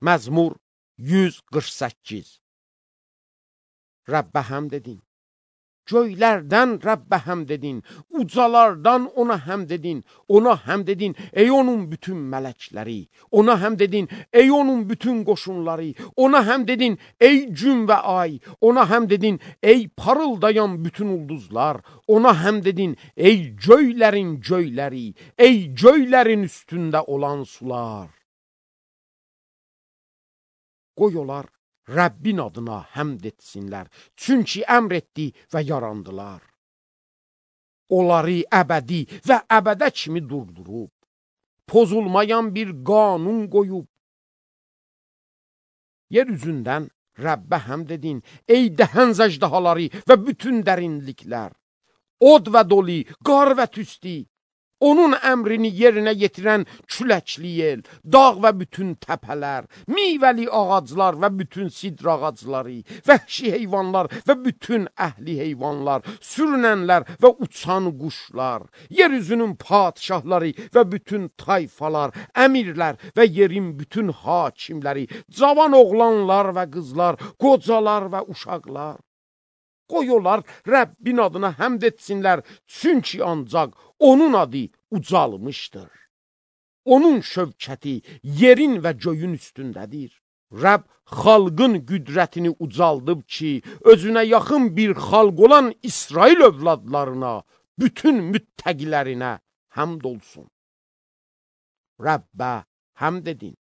Məzmur 148. Rəbbə həmd edin. Göylərdən Rəbbə həmd edin. Ucalardan ona həmd edin. Ona həmd edin, ey onun bütün mələkləri. Ona həmd edin, ey onun bütün qoşunları. Ona həmd edin, ey gün və ay. Ona həmd edin, ey parıldayan bütün ulduzlar. Ona həmd edin, ey göylərin göyləri. Ey göylərin üstündə olan sular. Qoy olar Rəbbin adına həmd etsinlər, çünki əmr etdi və yarandılar. Onları əbədi və əbədə kimi durdurub, pozulmayan bir qanun qoyub. Yer üzündən Rəbbə həmd edin, ey dəhənz əjdahaları və bütün dərinliklər. Od və doli, qar və tüsti. Onun əmrini yerinə yetirən küləkli yel, dağ və bütün təpələr, meyvəli ağaclar və bütün sidr ağacları, vəhşi heyvanlar və bütün əhli heyvanlar, sürünənlər və uçan quşlar, yeryüzünün padişahları və bütün tayfalar, əmirlər və yerin bütün hakimləri, cavan oğlanlar və qızlar, qocalar və uşaqlar. Qoy olar Rəbbin adına həmd etsinlər, çünki ancaq onun adı ucalmışdır. Onun şövkəti yerin və göyün üstündədir. Rəbb xalqın qüdrətini ucaldıb ki, özünə yaxın bir xalq olan İsrail övladlarına, bütün müttəqilərinə həmd olsun. Rəbbə həmd edin.